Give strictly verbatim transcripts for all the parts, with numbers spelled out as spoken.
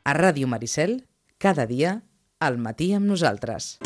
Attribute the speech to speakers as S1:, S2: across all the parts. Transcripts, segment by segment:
S1: A Ràdio Maricel, cada dia, al matí amb nosaltres.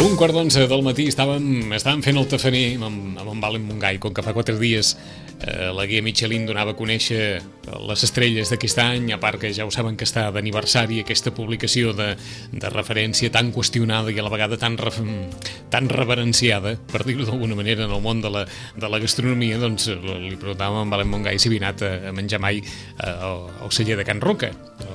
S2: Un quart d'onze del matí estàvem, estàvem fent el tafaner amb, amb en Valen Montgai, com que fa quatre dies eh, la guia Michelin donava a conèixer les estrelles d'aquest any, a part que ja ho saben que està d'aniversari aquesta publicació de, de referència tan qüestionada i a la vegada tan, re, tan reverenciada, per dir-ho d'alguna manera, en el món de la, de la gastronomia. Doncs li preguntàvem a en Valen Montgai si havia anat a, a menjar mai eh, al, al celler de Can Roca,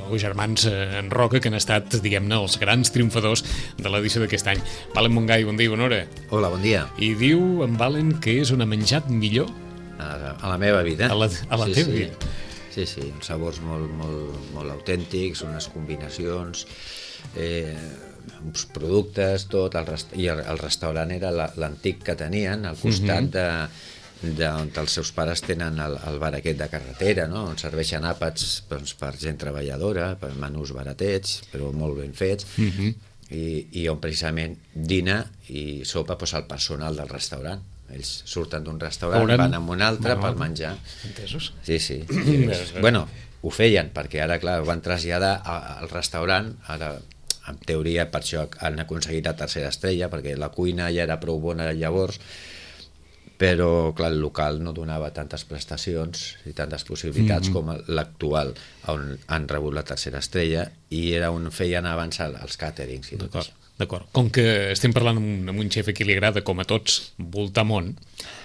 S2: o germans eh, en Roca, que han estat, diguem-ne, els grans triomfadors de l'edició d'aquest any. Valen Montgai, bon dia, bona hora.
S3: Hola, bon dia.
S2: I diu en Valen que és on ha menjat millor?
S3: A, a la meva vida.
S2: A la, a la
S3: sí,
S2: teva
S3: sí.
S2: vida.
S3: Sí, sí, uns sabors molt, molt, molt autèntics, unes combinacions, eh, uns productes, tot. El rest... I el, el restaurant era l'antic que tenien, al costat mm-hmm. de, de on els seus pares tenen el, el bar aquest de carretera, no? On serveixen àpats doncs, per gent treballadora, per menús baratets, però molt ben fets. Mm-hmm. I, i on precisament dina i sopa doncs, el personal del restaurant. Ells surten d'un restaurant, Hauran... van a un altre per menjar.
S2: Entesos?
S3: Sí, sí. I, bueno, ho feien, perquè ara, clar, ho van traslladar al restaurant, ara, en teoria, per això han aconseguit la tercera estrella, perquè la cuina ja era prou bona llavors, però, clar, el local no donava tantes prestacions i tantes possibilitats mm-hmm. com l'actual, on han rebut la tercera estrella, i era on feien avançar els càterings i tot això.
S2: D'acord. Com que estem parlant amb un, amb un xef a qui li agrada, com a tots, voltar món,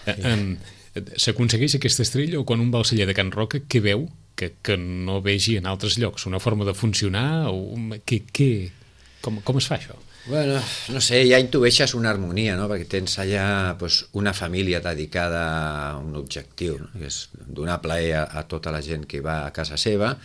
S2: sí. eh, s'aconsegueix aquesta estrella o quan un va al celler de Can Roca, què veu que, que no vegi en altres llocs? Una forma de funcionar? O, què, què, com, com es fa això?
S3: Bueno, no sé, ja intueixes una harmonia, no? Perquè tens allà pues, una família dedicada a un objectiu, no? Que és donar plaer a, a tota la gent que va a casa seva,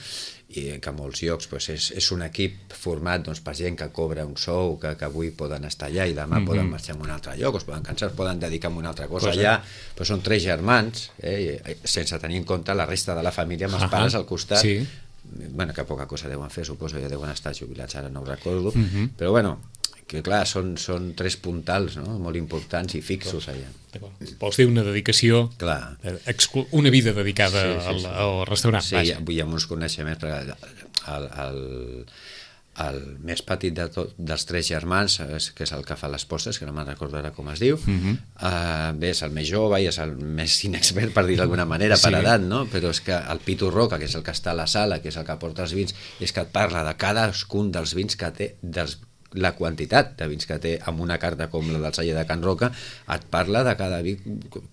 S3: i que a molts llocs pues, és, és un equip format doncs, per gent que cobra un sou, que, que avui poden estar allà i demà mm-hmm. poden marxar a un altre lloc, es poden cansar, es poden dedicar a una altra cosa. cosa. Allà pues, són tres germans, eh, sense tenir en compte la resta de la família, amb els uh-huh. pares al costat. Sí. Bueno, que poca cosa deuen fer, suposo, ja deuen estar jubilats, ara no ho recordo, mm-hmm. però bueno, que clar, són, són tres puntals, no? Molt importants i fixos allà.
S2: Vols dir una dedicació,
S3: clar.
S2: Exclu- una vida dedicada sí, sí, sí. Al, al restaurant.
S3: Sí, hi ha, hi ha uns coneixements, perquè el, el, el més petit de tot, dels tres germans, que és el que fa les postres, que no me'n recordo ara com es diu, uh-huh. uh, bé, és el més jove i és el més inexpert, per dir d'alguna manera, sí. per edat, no? Però és que el Pitu Roca, que és el que està a la sala, que és el que porta els vins, és que et parla de cadascun dels vins que té, dels la quantitat de vins que té amb una carta com la del celler de Can Roca, et parla de cada vi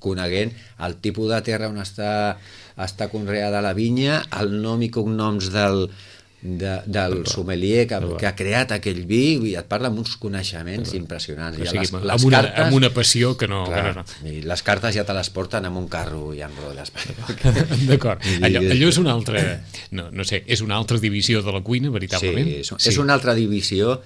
S3: coneguent el tipus de terra on està, està conreada la vinya, el nom i cognoms del, de, del sommelier que, que ha creat aquell vi, i et parla amb uns coneixements impressionants.
S2: O sigui, les, les amb, una, cartes, amb una passió que no,
S3: clar,
S2: que no, no.
S3: I les cartes ja te les porten amb un carro i amb rodes.
S2: D'acord. Allò, allò és una altra, no, no sé, és una altra divisió de la cuina, veritablement?
S3: Sí, és, sí. és una altra divisió.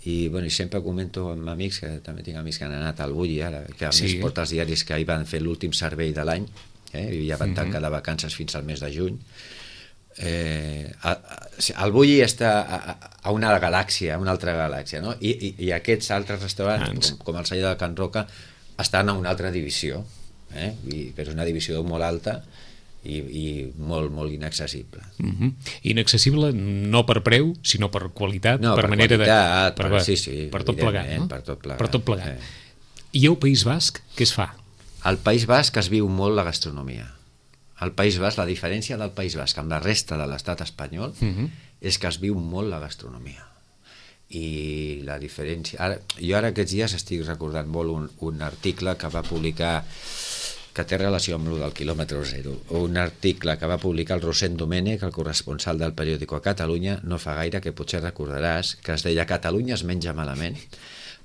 S3: I, bueno, i sempre comento amb amics, que també tinc amics que han anat al Bulli ara, que a sí. més porta els diaris que hi van fer l'últim servei de l'any, eh? I ja van tancar de vacances fins al mes de juny. Eh, el Bulli està a, a una galàxia, a una altra galàxia, no? I, i, i aquests altres restaurants, com, com el celler de Can Roca, estan a una altra divisió, eh? I, però és una divisió molt alta i, i molt, molt inaccessible.
S2: Uh-huh. Inaccessible no per preu, sinó per qualitat,
S3: no,
S2: per,
S3: per
S2: manera
S3: qualitat,
S2: de... Per,
S3: per, sí, sí,
S2: per tot plegat, no?
S3: Per tot plegat.
S2: Per tot plegat.
S3: Eh.
S2: I al País Basc, què es fa?
S3: Al País Basc es viu molt la gastronomia. Al País Basc, la diferència del País Basc amb la resta de l'estat espanyol uh-huh. és que es viu molt la gastronomia. I la diferència... Ara, jo ara aquests dies estic recordant molt un, un article que va publicar que té relació amb el del quilòmetre zero. Un article que va publicar el Rosent Domènech, el corresponsal del periòdico a Catalunya, no fa gaire, que potser recordaràs, que es deia Catalunya es menja malament.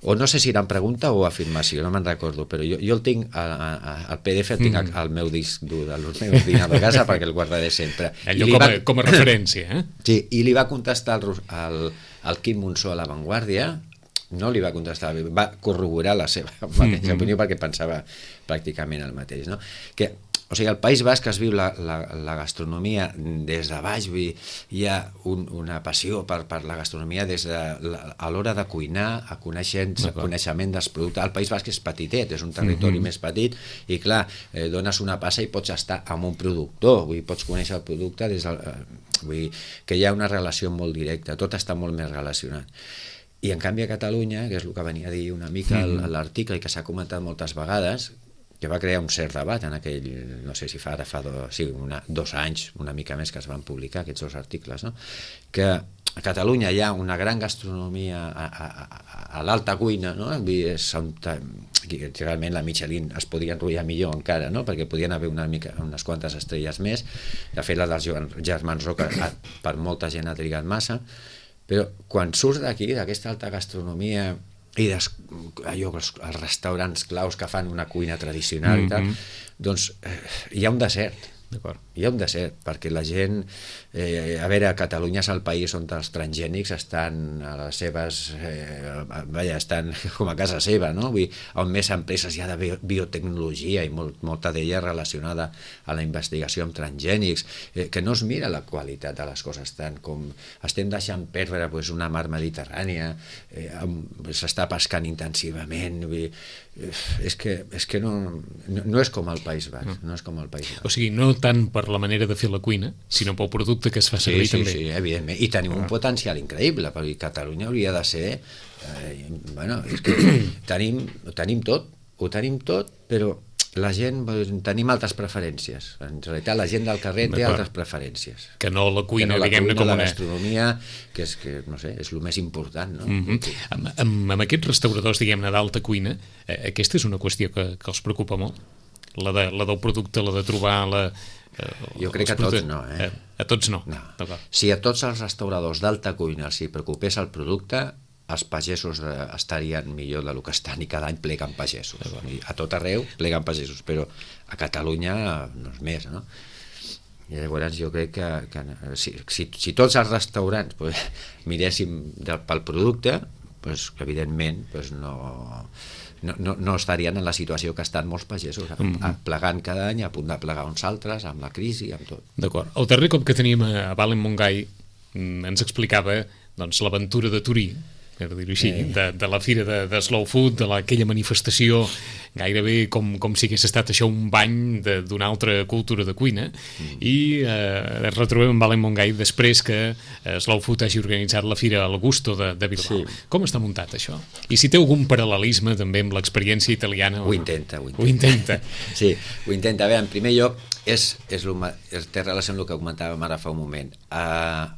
S3: O no sé si era en pregunta o afirmació, no me'n recordo, però jo, jo el tinc, a, a, el P D F el tinc mm. al meu disc dur del meu ordinador de casa perquè el guardaré sempre.
S2: Allò com, va, a, com a referència, eh?
S3: Sí, i li va contestar el, el, el Quim Monsó a La Vanguardia, no li va contestar, va corroborar la seva mateixa mm-hmm. opinió perquè pensava pràcticament el mateix, no? Que, o sigui, al País Basc es viu la, la, la gastronomia des de baix, hi ha un, una passió per, per la gastronomia des de la, a l'hora de cuinar, a coneixement dels productes. El País Basc és petitet, és un territori mm-hmm. més petit, i clar, eh, dones una passa i pots estar amb un productor, vull dir, pots conèixer el producte des del, eh, vull dir, que hi ha una relació molt directa, tot està molt més relacionat. I en canvi a Catalunya, que és el que venia a dir una mica mm-hmm. l'article i que s'ha comentat moltes vegades, que va crear un cert debat en aquell, no sé si fa ara fa do, sí, una, dos anys, una mica més, que es van publicar aquests dos articles, no? Que a Catalunya hi ha una gran gastronomia a, a, a, a l'alta cuina, no? És on, realment la Michelin es podia enrotllar millor encara, no? Perquè podien haver una mica, unes quantes estrelles més. De fet, la dels germans Roca per molta gent ha trigat massa, però quan surts d'aquí, d'aquesta alta gastronomia i des, allò, els, els restaurants claus que fan una cuina tradicional mm-hmm. i tal, doncs eh, hi ha un desert. D'acord. Hi ha un desert, perquè la gent, eh, a veure, Catalunya és el país on els transgènics estan a les seves, eh, vaja, estan com a casa seva, no? Vull dir, on més empreses hi ha de biotecnologia i molt, molta d'ella relacionada a la investigació amb transgènics, eh, que no es mira la qualitat de les coses tant com estem deixant perdre pues, una mar Mediterrània, eh, s'està pescant intensivament, vull dir, eh, és que, és que no, no, no és com el País Basc, no. no és com el País Basc.
S2: O sigui, no tant per la manera de fer la cuina, sinó pel producte que es fa servir
S3: sí, sí,
S2: també.
S3: Sí, evidentment. I tenim ah. un potencial increïble, perquè Catalunya hauria de ser... Eh, bueno, és que tenim, tenim tot, ho tenim tot, però la gent, tenim altres preferències. En realitat, la gent del carrer té altres preferències.
S2: Que no la cuina,
S3: no la
S2: diguem-ne,
S3: cuina,
S2: com
S3: la
S2: una...
S3: gastronomia, que és, que, no sé, és el més important, no?
S2: Mm-hmm. amb, amb, amb aquests restauradors, diguem-ne, d'alta cuina, eh, aquesta és una qüestió que, que els preocupa molt? La, de, la del producte, la de trobar la, eh,
S3: jo crec que a tots no, eh?
S2: A, a tots no,
S3: no. Si a tots els restauradors d'alta cuina els hi preocupés el producte, els pagesos estarien millor del que estan i cada any pleguen pagesos. A tot arreu pleguen pagesos, però a Catalunya no és més, no? I llavors jo crec que, que si, si, si tots els restaurants pues, miréssim del, pel producte, pues, evidentment pues, no... No, no, no estarien en la situació que estan molts pagesos, mm-hmm. plegant cada any, a punt de plegar uns altres, amb la crisi, amb tot.
S2: D'acord. El darrer cop que teníem a Valen Montgai ens explicava doncs, l'aventura de Turí, per dir-ho així, eh. de, de la fira de, de Slow Food, de la, aquella manifestació, gairebé com, com si hagués estat això un bany d'una altra cultura de cuina, mm. i eh, es retrobem amb Valen Montgai després que eh, Slow Food hagi organitzat la fira al Gusto de, de Bilbao. Sí. Com està muntat això? I si té algun paral·lelisme també amb l'experiència italiana?
S3: Ho intenta, ho intenta.
S2: Ho intenta.
S3: Sí, ho intenta. A veure, en primer lloc, és, és, lo, és té relació amb el que comentàvem ara fa un moment. Uh,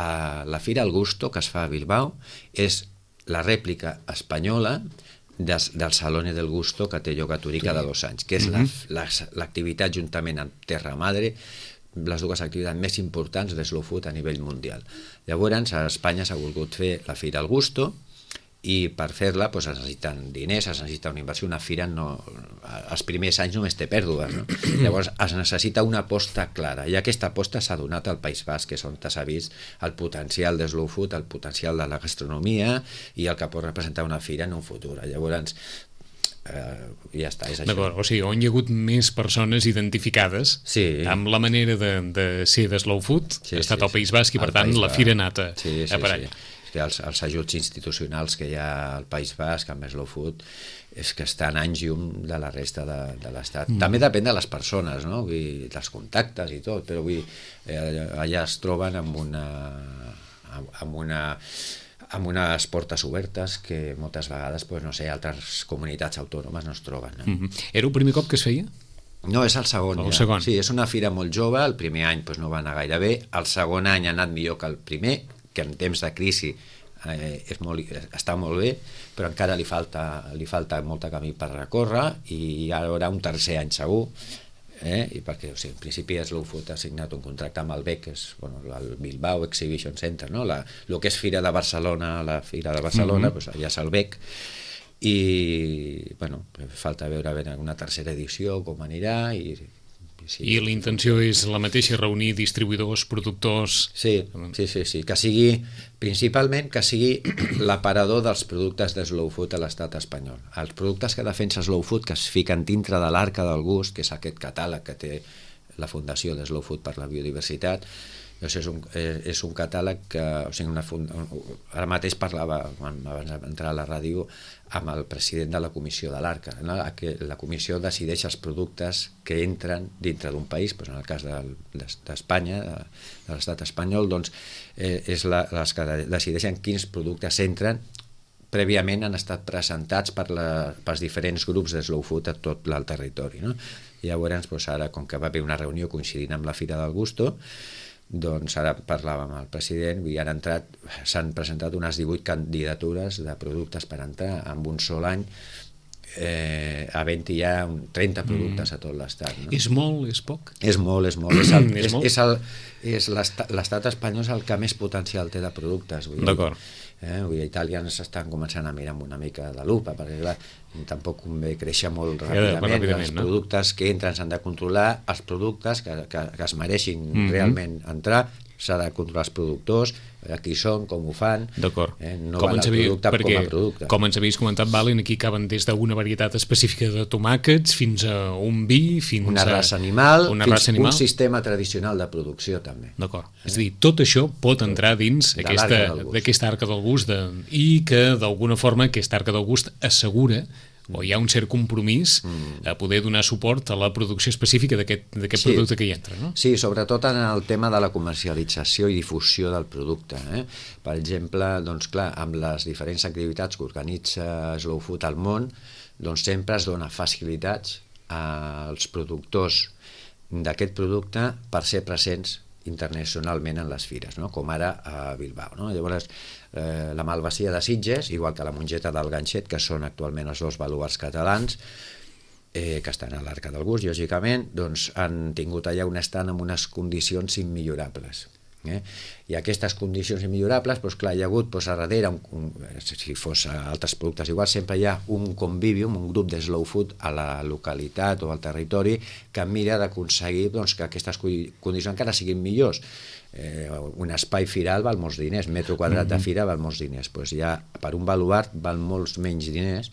S3: a la Fira al Gusto que es fa a Bilbao és la rèplica espanyola des, del Salone del Gusto que té lloc a Turí cada dos anys, que és mm-hmm. l'activitat la, juntament amb Terra Madre, les dues activitats més importants de Slow Food a nivell mundial. Llavors a Espanya s'ha volgut fer la Fira al Gusto i per fer-la doncs, es necessiten diners, es necessita una inversió. Una fira no, els primers anys només té pèrdues, no? Llavors es necessita una aposta clara, i aquesta aposta s'ha donat al País Basc, que és on s'ha vist el potencial de Slow Food, el potencial de la gastronomia i el que pot representar una fira en un futur. Llavors eh, ja està, és això.
S2: D'acord, o sigui, on hi ha hagut més persones identificades
S3: sí.
S2: amb la manera de, de ser de Slow Food, sí, ha estat sí, el País Basc i per tant la fira ha anat a,
S3: sí, sí,
S2: a per allà.
S3: Sí. Els, els ajuts institucionals que hi ha al País Basc amb Slow Food és que estan anys llum de la resta de, de l'Estat. Mm. També depèn de les persones, no? Vull dir, dels contactes i tot, però vull dir, eh, allà es troben amb una amb una amb unes portes obertes que moltes vegades, pues, no sé, altres comunitats autònomes no es troben. No?
S2: Mm-hmm. Era el primer cop que es feia?
S3: No, és el segon.
S2: El
S3: ja.
S2: segon.
S3: Sí, és una fira molt jove, el primer any pues, no va anar gaire bé, el segon any ha anat millor que el primer, que en temps de crisi eh, és molt, està molt bé, però encara li falta, li falta molt de camí per recórrer i hi haurà un tercer any segur. Eh? I perquè, o sigui, en principi Slow Food ha signat un contracte amb el B E C, que és bueno, el Bilbao Exhibition Center, no? La, el que és Fira de Barcelona, la Fira de Barcelona, mm-hmm. pues allà és el B E C, i bueno, falta veure, veure una tercera edició, com anirà, i sí.
S2: I la intenció és la mateixa, reunir distribuïdors, productors...
S3: Sí, sí, sí, sí, que sigui, principalment, que sigui l'aparador dels productes de Slow Food a l'estat espanyol. Els productes que defensa Slow Food, que es fiquen dintre de l'Arca del Gust, que és aquest catàleg que té la Fundació de Slow Food per la Biodiversitat, doncs és un, és un catàleg que, o sigui, una fund... ara mateix parlava, abans d'entrar a la ràdio, amb el president de la comissió de l'Arca, no? Que la comissió decideix els productes que entren dintre d'un país, doncs en el cas d'Espanya, de, de l'estat espanyol, doncs eh, és la, les que decideixen quins productes entren. Prèviament han estat presentats per la, pels diferents grups de Slow Food a tot el territori, no? I llavors, doncs ara, com que va haver una reunió coincidint amb la Fira del Gusto, doncs ara parlàvem amb el president i han entrat, s'han presentat unes divuit candidatures de productes per entrar en un sol any, eh, havent-hi ja trenta productes a tot l'estat. No?
S2: És molt, és poc?
S3: És molt, és molt. És, el,
S2: és,
S3: és,
S2: molt?
S3: és, el, és l'estat espanyol és el que més potencial té de productes.
S2: D'acord.
S3: Eh? Vull dir, Itàlia ens estan començant a mirar amb una mica de lupa, perquè clar, tampoc convé créixer molt ràpidament, ja, ràpidament els no? productes que entren s'han de controlar, els productes que, que, que es mereixin mm-hmm. realment entrar, s'ha de controlar els productors, qui són, com ho fan.
S2: D'acord.
S3: Eh? No com val el producte
S2: perquè,
S3: com a producte.
S2: Com ens havies comentat, Valen, aquí caben des d'una varietat específica de tomàquets fins a un vi, fins
S3: una
S2: a...
S3: raça animal,
S2: una
S3: fins
S2: raça animal.
S3: Un sistema tradicional de producció, també.
S2: D'acord. Eh? És a dir, tot això pot entrar dins d'aquesta arca del gust de, i que, d'alguna forma, aquesta arca del gust assegura o hi ha un cert compromís mm. a poder donar suport a la producció específica d'aquest sí. producte que hi entra, no?
S3: Sí, sobretot en el tema de la comercialització i difusió del producte. Eh? Per exemple, doncs clar, amb les diferents activitats que organitza Slow Food al món, doncs sempre es dona facilitats als productors d'aquest producte per ser presents internacionalment en les fires, no? Com ara a Bilbao. No? Llavors, eh, la Malvasia de Sitges, igual que la Mongeta del Ganxet, que són actualment els dos baluarts catalans, eh, que estan a l'Arca del Gust, lògicament, doncs han tingut allà un estant amb unes condicions immillorables. Eh? I aquestes condicions immillorables, doncs clar, hi ha hagut doncs, a darrere, un, un, si fos altres productes igual, sempre hi ha un convivium, un grup de Slow Food a la localitat o al territori que mira d'aconseguir doncs, que aquestes condicions encara siguin millors. Eh, un espai firal val molts diners, metro quadrat de fira val molts diners, doncs ja per un baluart val molts menys diners.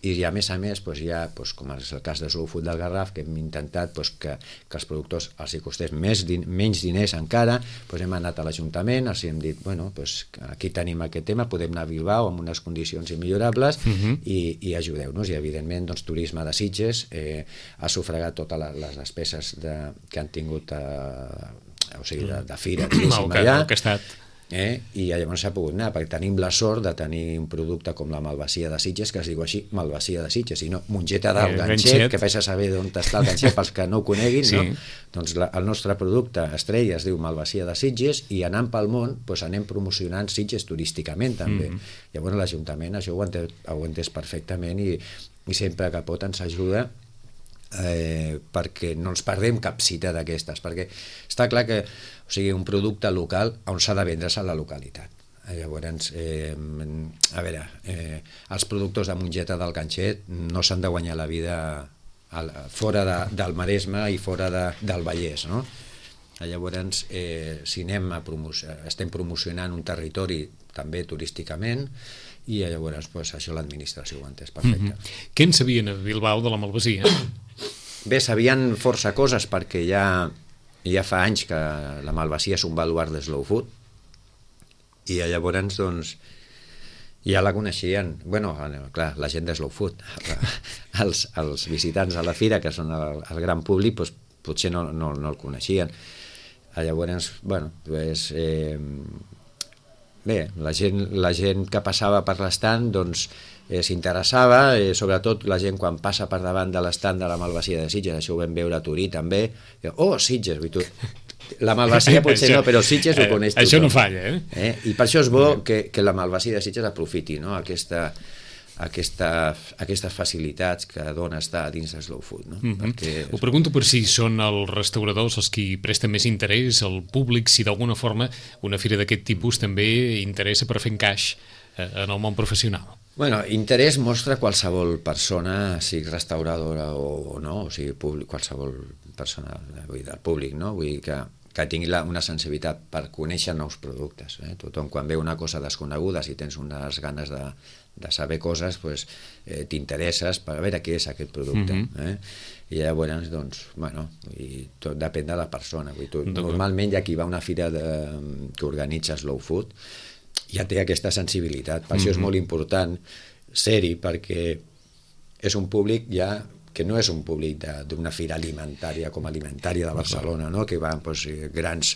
S3: I a més a més, doncs ja, doncs, com és el cas de Slow Food del Garraf, que hem intentat doncs, que, que els productors els hi costés més, din, menys diners encara, doncs hem anat a l'Ajuntament, els hem dit, bueno, doncs, aquí tenim aquest tema, podem anar a Bilbao amb unes condicions immillorables uh-huh. i, i ajudeu-nos. I evidentment, doncs, Turisme de Sitges eh, ha sufragat totes les despeses de, que han tingut eh, o sigui, de, de fira, diguéssim, allà.
S2: Que ha estat...
S3: Eh? I llavors s'ha pogut anar, perquè tenim la sort de tenir un producte com la Malvasia de Sitges, que es diu així, Malvasia de Sitges, i no Mongeta del Ganxet, que fes a saber d'on està el Ganxet pels que no ho coneguin, sí. no? Doncs la, el nostre producte estrella es diu Malvasia de Sitges, i anant pel món doncs anem promocionant Sitges turísticament també. Mm. Llavors l'Ajuntament això ho ha entès, ho ha entès perfectament i, i sempre que pot ens ajuda Eh, perquè no ens perdem cap cita d'aquestes, perquè està clar que o sigui, un producte local on s'ha de vendre's a la localitat. Llavors, eh, a veure, eh, els productors de Mongeta del Ganxet no s'han de guanyar la vida al, fora de, del Maresme i fora de, del Vallès, no? Llavors, eh, si anem a promocionar, estem promocionant un territori també turísticament, i llavors pues, això l'administració ho ha entès perfecte.
S2: Mm-hmm. Què en sabien a Bilbao de la Malvasia?
S3: Bé, sabien força coses perquè ja, ja fa anys que la Malvasia és un baluart de Slow Food i llavors doncs ja la coneixien, bueno, clar, la gent de Slow Food, els, els visitants a la fira, que són el, el gran públic, doncs, potser no, no, no el coneixien. Llavors, bueno, doncs, eh, bé, la gent, la gent que passava per l'estant doncs eh, s'interessava, eh, sobretot la gent quan passa per davant de l'estant de la Malvasia de Sitges, això ho vam veure a Turí també, oh, Sitges, tu, la malvasia potser això, no, però Sitges ho coneix tothom.
S2: Això no falla, eh?
S3: eh? I per això és bo que, que la malvasia de Sitges aprofiti, no? aquesta, aquesta, aquestes facilitats que dona estar dins de Slow Food. No?
S2: Mm-hmm.
S3: Perquè...
S2: Ho pregunto per si són els restauradors els qui presten més interès, el públic, si d'alguna forma una fira d'aquest tipus també interessa per fer encaix en el món professional.
S3: Bueno, interès mostra qualsevol persona, sigui restauradora o no, o sigui, públic, qualsevol persona vull dir, del públic, no? Vull dir que, que tingui la, una sensibilitat per conèixer nous productes. Eh? Tothom, quan veu una cosa desconeguda, si tens unes ganes de, de saber coses, pues, eh, t'interesses per veure què és aquest producte. Mm-hmm. eh? I llavors, doncs, bueno, i tot depèn de la persona. Vull dir, tu, normalment hi ha qui va a una fira de, que organitza Slow Food, ja té aquesta sensibilitat. Per mm-hmm. això és molt important ser-hi, perquè és un públic ja que no és un públic d'una fira alimentària com alimentària de Barcelona, no? Que van doncs, grans,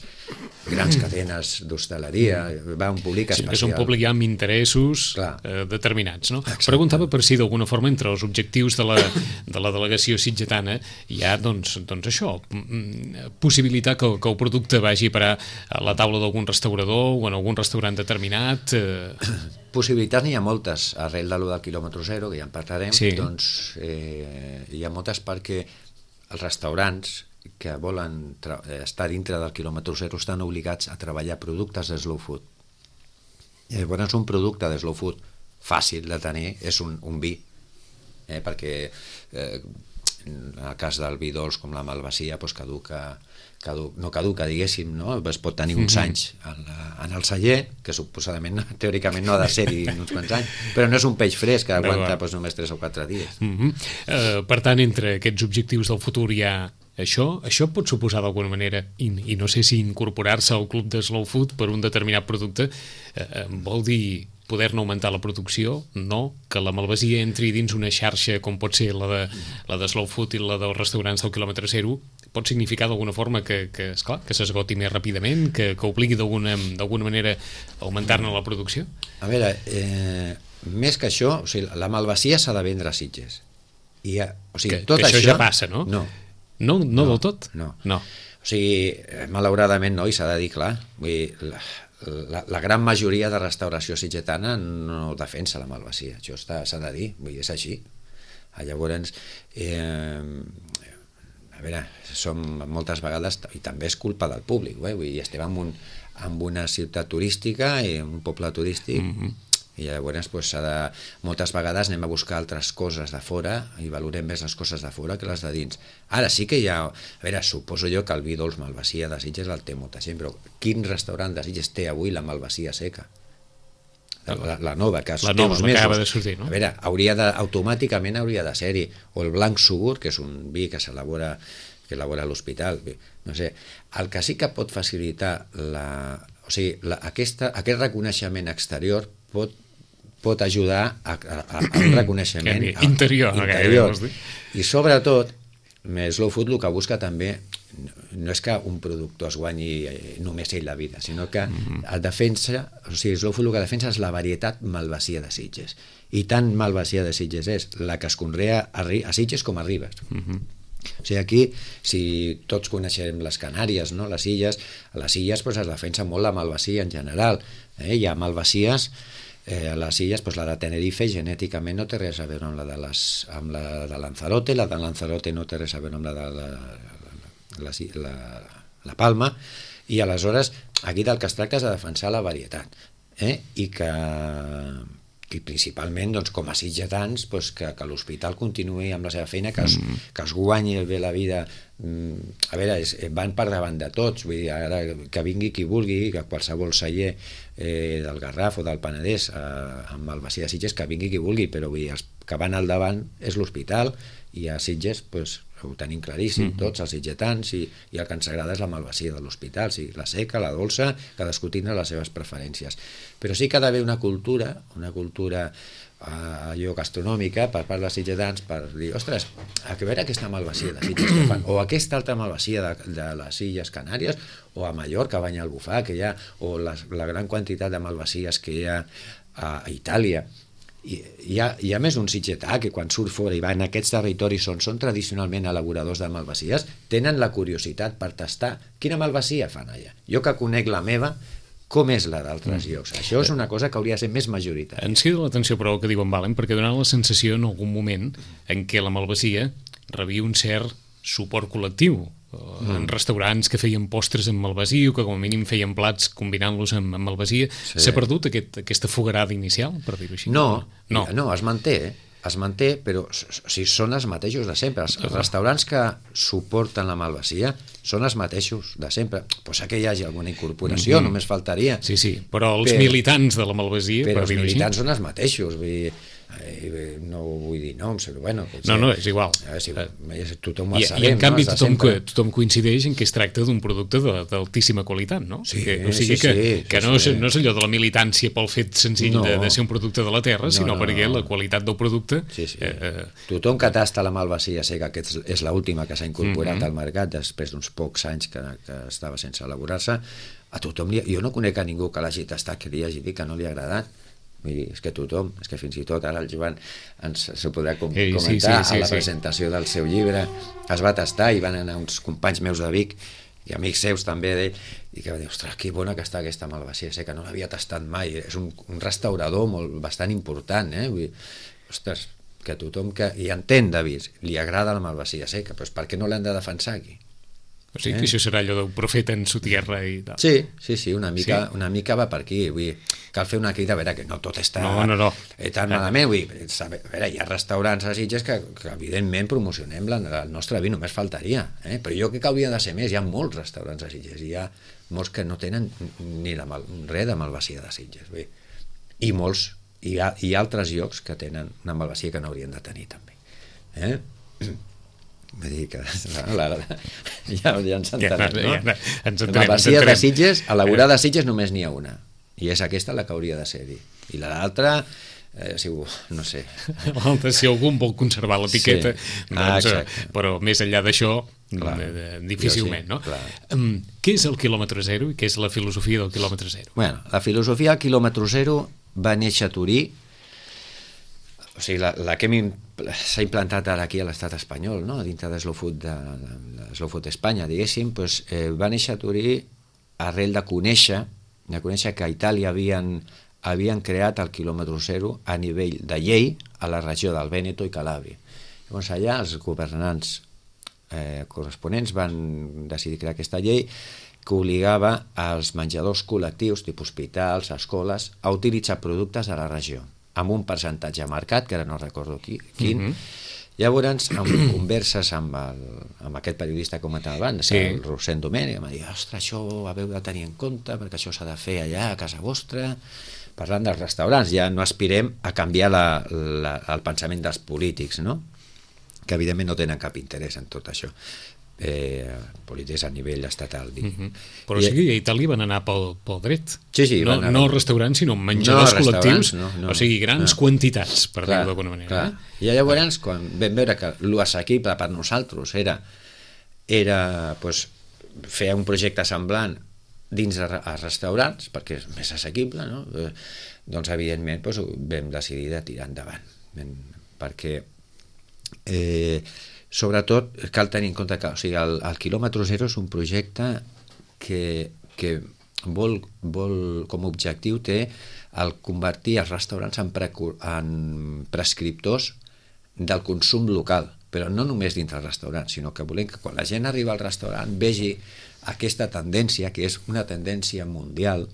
S3: grans cadenes d'hostaleria, va un públic especial.
S2: Sí, és un públic ja amb interessos eh, determinats. No? Preguntava per si d'alguna forma entre els objectius de la, de la delegació sitgetana hi ha doncs, doncs això, possibilitar que, que el producte vagi a parar a la taula d'algun restaurador o en algun restaurant determinat. Eh...
S3: Possibilitats n'hi ha moltes, arrel de lo del quilòmetre zero, que ja en parlarem, sí. Doncs eh, hi ha moltes perquè els restaurants que volen estar dintre del quilòmetre zero estan obligats a treballar productes de slow food. I llavors un producte de slow food fàcil de tenir és un, un vi, eh, perquè eh, en el cas del vi dolç com la malvasia doncs caduca, caduca, no caduca, diguéssim, no? Es pot tenir uns anys en, la, en el celler, que suposadament, teòricament no ha de ser-hi uns quants anys, però no és un peix fresc que aguanta doncs, només tres o quatre dies.
S2: Mm-hmm. uh, per tant, entre aquests objectius del futur hi ha això, això pot suposar d'alguna manera, i, i no sé si incorporar-se al club de Slow Food per un determinat producte, uh, vol dir poder-ne augmentar la producció, no, que la malvasia entri dins una xarxa com pot ser la de, la de Slow Food i la dels restaurants del quilòmetre zero, pot significar d'alguna forma que, que esclar, que s'esgoti més ràpidament, que, que obligui d'alguna d'alguna manera a augmentar-ne la producció?
S3: A veure, eh, més que això, o sigui, la malvasia s'ha de vendre a Sitges. I, o sigui,
S2: que,
S3: tot
S2: que això,
S3: això
S2: ja passa, no?
S3: No.
S2: No, no, no del tot?
S3: No.
S2: no.
S3: O sigui, malauradament no, i s'ha de dir clar, vull dir, la, la, la gran majoria de restauració sitgetana no defensa la malvasia, això s'ha de dir, vull dir, és així. Llavors, eh, a veure, som moltes vegades, i també és culpa del públic, eh? Vull dir, estem en, un, en una ciutat turística i un poble turístic, mm-hmm. i llavors pues, de, moltes vegades anem a buscar altres coses de fora i valorem més les coses de fora que les de dins. Ara sí que hi ha, a veure, suposo jo que el vi dolç malvasia de Sitges el té molta gent, però quin restaurant de Sitges té avui la malvasia seca? La, la nova, que
S2: la nova, que acaba de sortir, no?
S3: A veure, hauria de, automàticament hauria de ser-hi, o el blanc sugur, que és un vi que s'elabora que elabora a l'hospital, no sé, el que sí que pot facilitar la, o sigui, la, aquesta, aquest reconeixement exterior pot pot ajudar a, a, a un reconeixement
S2: interior,
S3: interior. I sobretot Slow Food el que busca també no és que un productor es guanyi només ell la vida, sinó que el defensa, o sigui, Slow Food el que defensa és la varietat malvasia de Sitges, i tant malvasia de Sitges és la que es conrea a, a Sitges com a Ribes. Uh-huh. O sigui, aquí, si tots coneixem les Canàries, no? Les illes, a les illes pues, es defensa molt la malvasia en general, eh? Hi ha malvasies. Eh, a les illes, doncs la de Tenerife genèticament no té res a veure amb la de, les, amb la de Lanzarote, la de Lanzarote no té res a veure amb la de la, la, la, la Palma, i aleshores aquí del que es tracta és de defensar la varietat, eh? I que i principalment doncs, com a sitgetans doncs, que, que l'hospital continuï amb la seva feina, que es, mm. que es guanyi bé la vida. A veure, és, van per davant de tots, vull dir, ara que vingui qui vulgui, que qualsevol celler eh, del Garraf o del Penedès eh, amb malvasia de Sitges, que vingui qui vulgui, però vull dir, els que van al davant és l'hospital, i a Sitges doncs, ho tenim claríssim, mm-hmm. tots els sitgetans, i, i el que ens agrada és la malvasia de l'hospital, sí, la seca, la dolça, cadascú tindrà les seves preferències. Però sí que ha d'haver una cultura, una cultura eh, allò gastronòmica per part dels sitgetans, per dir, ostres, a veure aquesta malvasia de Sitges que fan, o aquesta altra malvasia de, de les Illes Canàries, o a Mallorca, a Banyalbufar, que hi ha, o la, la gran quantitat de malvasies que hi ha a, a Itàlia. I hi ha, hi ha més un sitgetà que quan surt fora i va en aquests territoris on són tradicionalment elaboradors de malvasies, tenen la curiositat per tastar quina malvasia fan allà. Jo que conec la meva, com és la d'altres llocs? Això és una cosa que hauria de ser més majoritària.
S2: Ens crida l'atenció, però, el que diu en Valen, perquè donava la sensació en algun moment en què la malvasia rebia un cert suport col·lectiu. Mm. En restaurants que feien postres amb malvasia o que com a mínim feien plats combinant-los amb, amb malvasia. Sí. S'ha perdut aquest, aquesta fogarada inicial, per dir-ho així?
S3: No, no, no, es manté, eh? es manté, però o sigui, són els mateixos de sempre. Els restaurants que suporten la malvasia són els mateixos de sempre. Pot ser que hi hagi alguna incorporació, mm-hmm. només faltaria.
S2: Sí, sí, però els però, militants de la malvasia...
S3: Però els militants són els mateixos, vull dir... Eh, no vull dir noms, però bueno... Potser,
S2: no, no, és igual.
S3: Eh, si, eh, tothom ho
S2: I,
S3: sabem,
S2: I en canvi
S3: no?
S2: tothom, que, tothom coincideix en que es tracta d'un producte d'altíssima qualitat, no?
S3: Sí,
S2: que, o sigui
S3: sí,
S2: que,
S3: sí,
S2: que
S3: sí,
S2: no,
S3: sí.
S2: És, no és allò de la militància pel fet senzill no. de, de ser un producte de la terra, no, sinó no, perquè no. la qualitat del producte...
S3: Sí, sí.
S2: Eh,
S3: tothom que tasta la malvasia sé que aquest és l'última que s'ha incorporat mm-hmm. al mercat després d'uns pocs anys que, que estava sense elaborar-se. A tothom li, jo no conec a ningú que l'hagi tastat que li hagi dit que no li ha agradat. Vull dir, és que tothom, és que fins i tot ara el Joan ens se podrà com, Ei, comentar sí, sí, sí, a la sí. presentació del seu llibre, es va tastar i van anar uns companys meus de Vic i amics seus també d'ell, i que va dir, ostres, que bona que està aquesta malvasia, sé que no l'havia tastat mai, és un, un restaurador molt, bastant important, eh? Vull dir, ostres, que tothom que hi entén de vi, li agrada la malvasia seca, però per què no l'han de defensar aquí?
S2: O sigui que eh? això serà allò d'un profeta en su tierra i tal.
S3: Sí, sí, sí, una mica,
S2: sí?
S3: una mica va per aquí. Vull dir, cal fer una crida, a veure, que no tot està
S2: no, no, no.
S3: tan malament. Vull dir, a veure, hi ha restaurants a Sitges que, que evidentment promocionem la, el nostre vi, només faltaria. Eh? Però jo crec que hauria de ser més. Hi ha molts restaurants a Sitges, hi ha molts que no tenen ni la mal, res de malvasia de Sitges. Vull dir. I molts, hi ha, hi ha altres llocs que tenen una malvasia que no haurien de tenir també. Eh? Vull dir que la, la, ja, ja ens entenem, no? Ja, ja, ens entenem, la masia de Sitges, elaborada a Sitges només n'hi ha una, i és aquesta la que hauria de ser-hi, i l'altra eh, si, no sé
S2: l'altra, si algú vol conservar l'etiqueta sí. doncs, ah, però més enllà d'això eh, difícilment, sí, no? Um, què és el quilòmetre zero i què és la filosofia del quilòmetre zero?
S3: Bueno, la filosofia del quilòmetre zero va néixer a Turí. O sigui, la, la que s'ha implantat ara aquí a l'estat espanyol, no? Dintre de Slow Food, de, de Slow Food Espanya, diguéssim, pues, eh, va néixer a Turí arrel de conèixer, de conèixer que a Itàlia havien, havien creat el quilòmetre zero a nivell de llei a la regió del Vèneto i Calàbria. Llavors allà els governants eh, corresponents van decidir crear aquesta llei que obligava als menjadors col·lectius, tipus hospitals, escoles, a utilitzar productes de la regió, amb un percentatge marcat, que ara no recordo qui, quin. Mm-hmm. Llavors, amb converses amb, el, amb aquest periodista que comentava abans, sí. el Rosent Domènech, em va dir, ostres, això ho haveu de tenir en compte, perquè això s'ha de fer allà a casa vostra, parlant dels restaurants, ja no aspirem a canviar la, la, el pensament dels polítics, no? Que evidentment no tenen cap interès en tot això. Eh, polítics a nivell estatal.
S2: Mm-hmm. Però I, sí que a Itàlia van anar pel, pel dret.
S3: Sí, sí,
S2: no,
S3: anar...
S2: no restaurants, sinó menjadors no, col·lectius, no, no, o sigui, grans no. quantitats, per dir-ho d'alguna manera.
S3: Clar. Eh? I llavors, quan vam veure que l'assequible per nosaltres era, era pues, fer un projecte semblant dins de restaurants, perquè és més assequible, no? eh, doncs evidentment pues, vam decidir de tirar endavant, perquè eh, sobretot cal tenir en compte que o sigui, el, el quilòmetre zero és un projecte que, que vol, vol com a objectiu té el convertir els restaurants en, pre, en prescriptors del consum local, però no només dintre el restaurant, sinó que volem que quan la gent arriba al restaurant vegi aquesta tendència, que és una tendència mundial,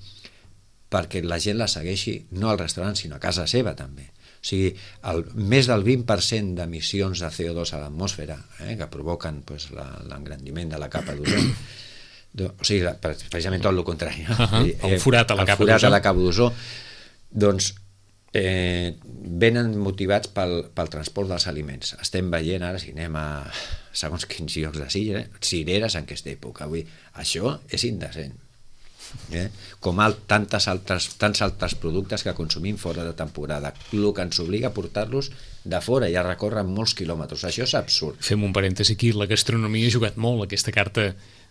S3: perquè la gent la segueixi no al restaurant sinó a casa seva també. O sigui, el, més del vint per cent d'emissions de C O dos a l'atmosfera eh, que provoquen pues, l'engrandiment de la capa d'ozó, o sigui, precisament tot el contrari, no?
S2: Uh-huh. el forat a la
S3: el
S2: capa
S3: forat
S2: d'ozó,
S3: a la capa d'ozó doncs eh, venen motivats pel, pel transport dels aliments. Estem veient ara, si anem a segons quins llocs de Sitges, eh, cireres en aquesta època. Avui, això és indecent. Eh? Com alt, tantes altres, tants altres productes que consumim fora de temporada, el que ens obliga a portar-los de fora i a recórrer molts quilòmetres. Això és absurd.
S2: Fem un parèntesi aquí, la gastronomia ha jugat molt aquesta carta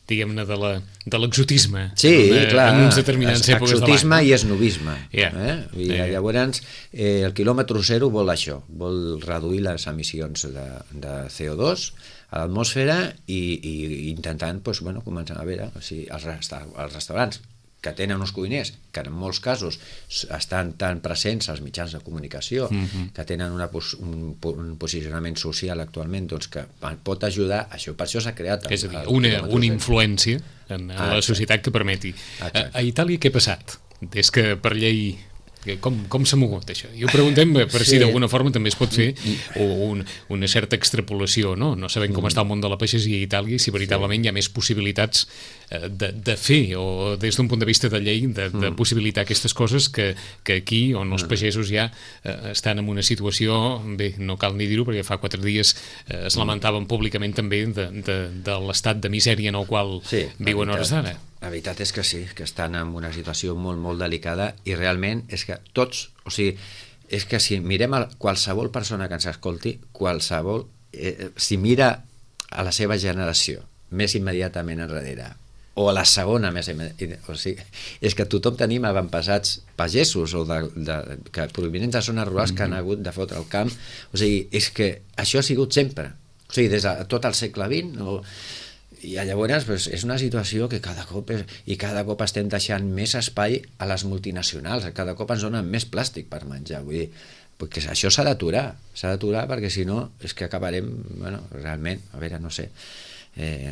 S2: diguem-ne, de la, de l'exotisme
S3: sí,
S2: en, una,
S3: clar,
S2: en uns determinats
S3: es,
S2: èpoques de l'any.
S3: exotisme i esnovisme.
S2: Yeah.
S3: Eh? I
S2: Yeah.
S3: llavors, eh, el quilòmetre zero vol això, vol reduir les emissions de, de C O dos a l'atmosfera i, i intentant, doncs, bueno, començar a veure, o sigui, els, resta els restaurants que tenen uns cuiners, que en molts casos estan tan presents als mitjans de comunicació, mm-hmm. que tenen una, un, un posicionament social actualment, doncs que pot ajudar, això per això s'ha creat... El,
S2: és a dir, una, una influència en, en ah, la societat que permeti. A, a Itàlia què ha passat? Des que per llei... Com, com s'ha mogut això? I ho preguntem per sí. si d'alguna forma també es pot fer un, una certa extrapolació, no? No sabem com està el món de la pagesia a Itàlia i si veritablement hi ha més possibilitats de, de fer, o des d'un punt de vista de llei, de, de possibilitar aquestes coses que, que aquí, on els pagesos ja eh, estan en una situació, bé, no cal ni dir-ho, perquè fa quatre dies eh, es lamentaven públicament també de, de, de l'estat de misèria en el qual sí, viuen hores d'ara.
S3: La veritat és que sí, que estan en una situació molt, molt delicada i realment és que tots, o sigui, és que si mirem a qualsevol persona que ens escolti, qualsevol, eh, si mira a la seva generació més immediatament enrere, o a la segona més immediatament, o sigui, és que tothom tenim avantpassats pagesos o de, de, que provinents de zones rurals que han hagut de fotre el camp, o sigui, és que això ha sigut sempre, o sigui, des de tot el segle vint, o i llavors pues, és una situació que cada cop és, i cada cop estem deixant més espai a les multinacionals, cada cop ens donen més plàstic per menjar, vull dir, perquè això s'ha d'aturar, s'ha d'aturar perquè si no és que acabarem, bueno, realment, a veure, no sé, eh,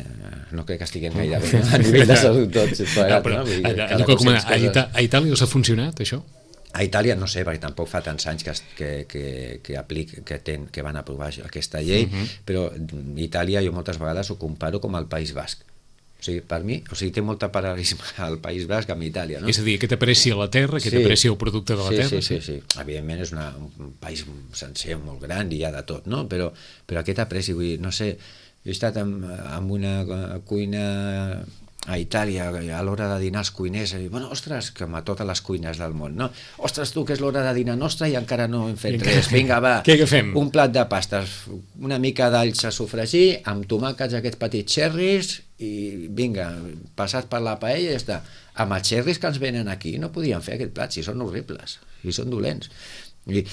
S3: no crec que estiguem gaire bé a nivell de salut tots, plegat, no, però, no? Dir,
S2: a, a, a, a, a Itàlia us ha funcionat això?
S3: A Itàlia no sé, perquè tampoc fa tants anys que, que, que, que, aplic, que, ten, que van aprovar aquesta llei, uh-huh. però Itàlia jo moltes vegades ho comparo com el País Basc. O sigui, per mi, o sigui, té molta paral·lelisme al País Basc amb Itàlia, no?
S2: És a dir, que t'aprecia la terra, que sí. t'aprecia el producte de la
S3: sí,
S2: terra.
S3: Sí, sí, sí, sí. Evidentment és una, un país sencer, molt gran, i hi ha de tot, no? Però, però aquest apreci, vull dir, no sé, jo he estat en, en una cuina a Itàlia, a l'hora de dinar els cuiners, i, bueno, ostres, com a totes les cuines del món, no? Ostres, tu, que és l'hora de dinar nostra i encara no hem fet res. Vinga, va,
S2: què agafem?
S3: Un plat de pastes, una mica d'alls a sofregir, amb tomàquets, aquests petits xerris, i vinga, passat per la paella i ja està. Amb els xerris que ens venen aquí no podien fer aquest plat, si són horribles, si són dolents. I,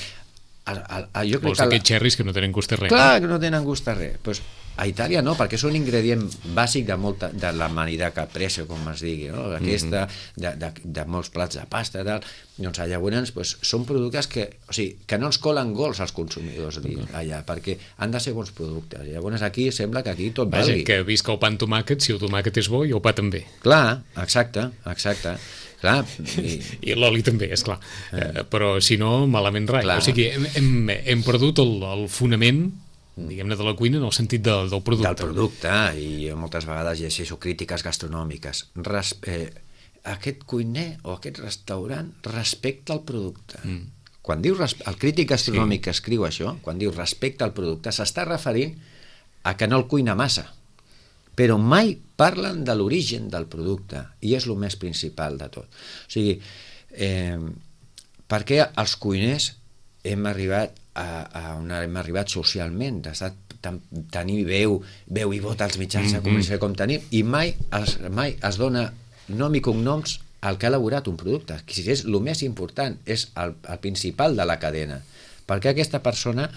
S3: a, a, a, jo crec
S2: Vols
S3: que
S2: aquests xerris que no tenen gust a res?
S3: Clar que no tenen gust a res. Pues, a Itàlia no, perquè és un ingredient bàsic de, molta, de la manida caprese, com es digui, no? Aquesta, mm-hmm. de, de, de molts plats de pasta, tal. Doncs llavors pues, són productes que, o sigui, que no ens colen gols als consumidors allà, perquè han de ser bons productes. Llavors aquí sembla que aquí tot
S2: Vaja,
S3: valgui.
S2: que visca el pa amb tomàquet, si el tomàquet és bo i el pa també.
S3: Clar, exacte, exacte. Clar, i...
S2: I l'oli també, esclar. Eh. Però si no, malament rai. Clar. O sigui, hem, hem, hem perdut el, el fonament, diguem-ne, de la cuina en el sentit de, del producte.
S3: Del producte, i moltes vegades llegeixo crítiques gastronòmiques. Res, eh, aquest cuiner o aquest restaurant respecta el producte. Mm. Quan diu, el crític gastronòmic sí. que escriu això, quan diu respecta el producte, s'està referint a que no el cuina massa. Però mai parlen de l'origen del producte, i és el més principal de tot. O sigui, eh, perquè els cuiners hem arribat a, a on hem arribat socialment, de tenir veu, veu i vot als mitjans de comunicació com tenim, i mai es, mai es dona nom i cognoms al que ha elaborat un producte, que és el més important, és el, el principal de la cadena. Perquè aquesta persona,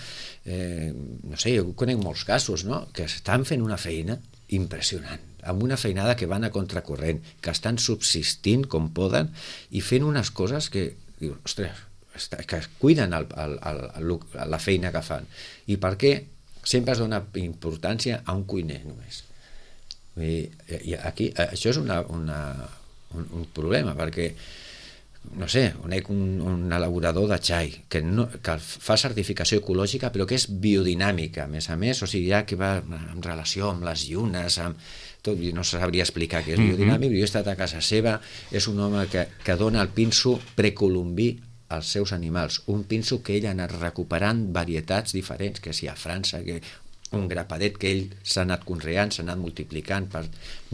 S3: eh, no sé, jo conec molts casos, no?, que estan fent una feina impressionant, amb una feinada que van a contracorrent, que estan subsistint com poden i fent unes coses que, diu, ostres, que cuiden el, el, el, el, la feina que fan. I per què sempre es dona importància a un cuiner només? I, i aquí, això és una, una, un, un problema, perquè no sé, conec un, un elaborador de xai que, no, que fa certificació ecològica però que és biodinàmica, a més a més, o sigui, ja que va en relació amb les llunes, amb tot, no sabria explicar què és biodinàmic, mm-hmm. jo he estat a casa seva, és un home que, que dona el pinso precolombí als seus animals, un pinso que ell ha anat recuperant varietats diferents, que si a França, que un grapadet que ell s'ha anat conreant, s'ha anat multiplicant per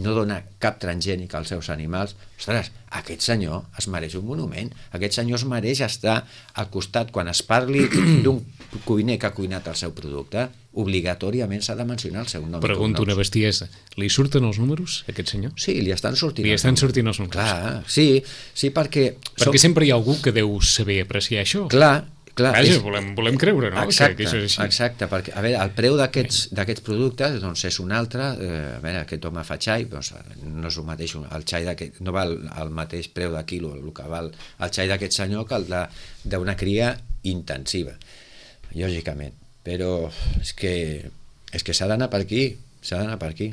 S3: no donar cap transgènic als seus animals. Ostres, aquest senyor es mereix un monument, aquest senyor es mereix estar al costat quan es parli d'un cuiner que ha cuinat el seu producte, obligatòriament s'ha de mencionar el seu nom.
S2: Pregunto una bestiesa. Li surten els números, a aquest senyor?
S3: Sí, li estan sortint.
S2: Li estan sortint els números.
S3: Clar, sí, sí, perquè...
S2: Perquè som... sempre hi ha algú que deu saber apreciar això.
S3: Clar, clar.
S2: Vaja,
S3: és...
S2: volem, volem creure, no?
S3: Exacte,
S2: que, que això és així.
S3: Exacte, perquè, a veure, el preu d'aquests d'aquests productes doncs és un altre, eh, a veure, aquest home fa xai, doncs no és el mateix, el xai d'aquest, no val el mateix preu de quilo, el que val el xai d'aquest senyor que el d'una cria intensiva, lògicament, però és que és que s'ha d'anar per aquí, s'ha d'anar per aquí.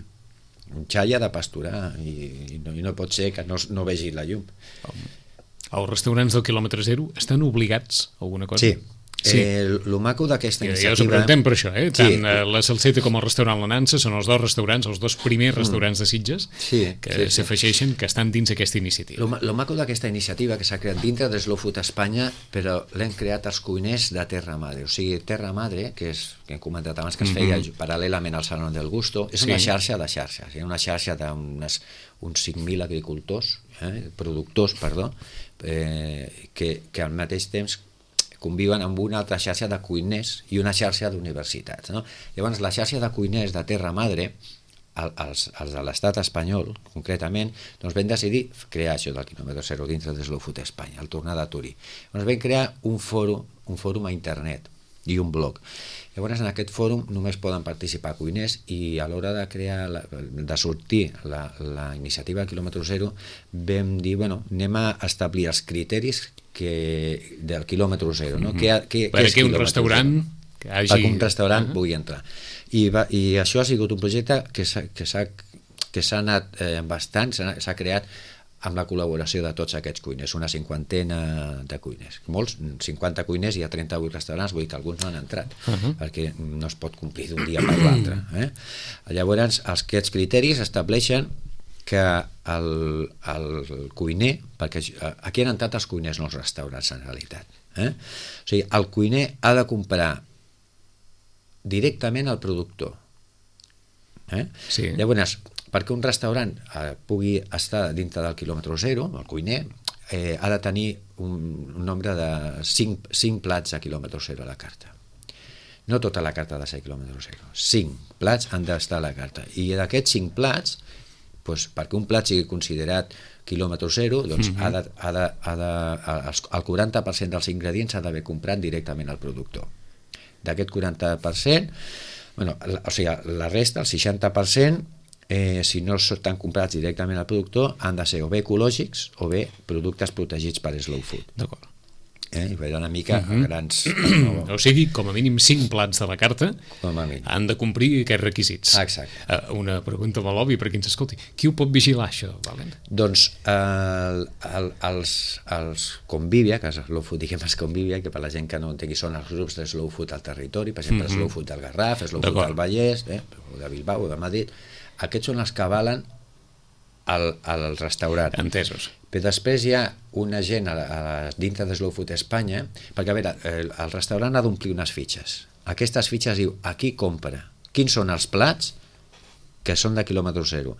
S3: Un xai ha de pasturar i, i, no, i no pot ser que no, no vegi la llum.
S2: Els restaurants del quilòmetre zero estan obligats a alguna cosa?
S3: Sí. Sí. Eh, el maco d'aquesta iniciativa...
S2: Ja us ho preguntem per això, eh? Tant
S3: sí.
S2: la Salseta com el restaurant La Nansa són els dos restaurants, els dos primers restaurants de Sitges
S3: sí,
S2: que
S3: sí,
S2: s'afegeixen, que estan dins aquesta iniciativa.
S3: El maco d'aquesta iniciativa que s'ha creat dintre de Slow Food Espanya, però l'hem creat els cuiners de Terra Madre. O sigui, Terra Madre, que és que hem comentat abans que es feia mm-hmm. paral·lelament al Salón del Gusto, és una sí. xarxa de xarxes, una xarxa d'uns uns cinc mil agricultors, eh, productors, perdó, eh, que, que al mateix temps conviuen amb una altra xarxa de cuiners i una xarxa d'universitats. No? Llavors, la xarxa de cuiners de Terra Madre, els, els de l'estat espanyol, concretament, doncs vam decidir crear això del quilòmetre zero dintre de Slow Food Espanya, al tornar de Turí. Doncs vam crear un fòrum, un fòrum a internet i un blog. Llavors, en aquest fòrum només poden participar cuiners i a l'hora de crear, la, de sortir la, la iniciativa quilòmetre zero, vam dir, bueno, anem a establir els criteris que, del quilòmetre zero, no? Mm-hmm. que, que,
S2: per aquí un restaurant
S3: que hagi... perquè un restaurant uh-huh. pugui entrar. I, va, I això ha sigut un projecte que s'ha que s'ha que s'ha anat eh, bastant, s'ha creat amb la col·laboració de tots aquests cuiners, una cinquantena de cuiners. Molts, cinquanta cuiners, hi ha trenta-vuit restaurants, vull dir que alguns no han entrat, uh-huh. perquè no es pot complir d'un dia per l'altre. Eh? Llavors, aquests criteris estableixen que el, el cuiner, perquè aquí han entrat els cuiners, no els restaurants en realitat, eh? O sigui, el cuiner ha de comprar directament al productor. Eh? Sí. Llavors, perquè un restaurant eh, pugui estar dintre del quilòmetre zero, el cuiner, eh, ha de tenir un, un nombre de cinc, cinc plats a quilòmetre zero a la carta. No tota la carta ha de ser a quilòmetre zero. cinc plats han d'estar a la carta. I d'aquests cinc plats, doncs, perquè un plat sigui considerat quilòmetre zero, doncs mm-hmm. ha de, ha de, ha de, el quaranta per cent dels ingredients s'ha d'haver comprat directament al productor. D'aquest quaranta per cent, bueno, o sigui, la resta, el seixanta per cent, Eh, si no estan comprats directament al productor, han de ser o bé ecològics o bé productes protegits per Slow Food.
S2: D'acord.
S3: Eh, I veure una mica uh-huh. a grans...
S2: No. O sigui, com a mínim cinc plats de la carta han de complir aquests requisits.
S3: Exacte.
S2: Uh, una pregunta molt òbvia per qui ens escolti. Qui ho pot vigilar, això, Valent?
S3: Doncs el, el, els, els Convivia, que és Slow Food, diguem els Convivia, que per la gent que no entengui són els grups de Slow Food al territori, per exemple, uh-huh. Slow Food del Garraf, Slow Food del Vallès, eh, o de Bilbao, o de Madrid. Aquests són els que avalen el, el restaurant.
S2: Entesos.
S3: Però després hi ha una gent a, a, dintre de Slow Food Espanya, perquè a veure, el, el restaurant ha d'omplir unes fitxes. Aquestes fitxes diu, aquí compra, quins són els plats que són de quilòmetre zero,